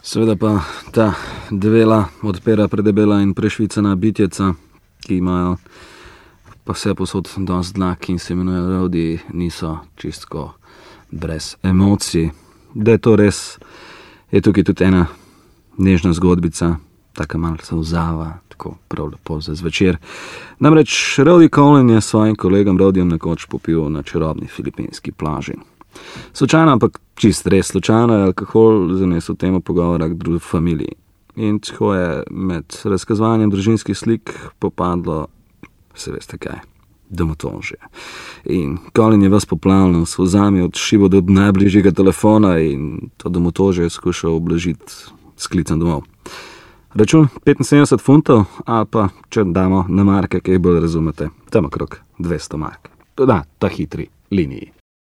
Seveda pa ta devela odpira predebela in prešvicana bitjeca, ki imajo pa vse posod dosti dlak in se imenujejo rodi, niso čistko brez emocij. Da je to res, je tukaj tudi ena nežna zgodbica, taka malce solzava, tako prav lepo za zvečer. Namreč Rody Collin je svojim kolegom Rodyjem nekoč popil na čarobni filipinski plaži. Slučajno, ampak čist res slučajno, je alkohol zanesel temo pogovora k drugi familiji. In tako je med razkazovanjem družinskih slik popadlo, se veste kaj, domotožje. In Collin je vas poplavljal s solzami odšival do najbližjega telefona in to domotožje je skušal oblažiti s klicem domov. Račun 75 funtov, ali pa, če damo na marke, kaj bolj razumete, tam okrog 200 mark. Da, ta hitri liniji.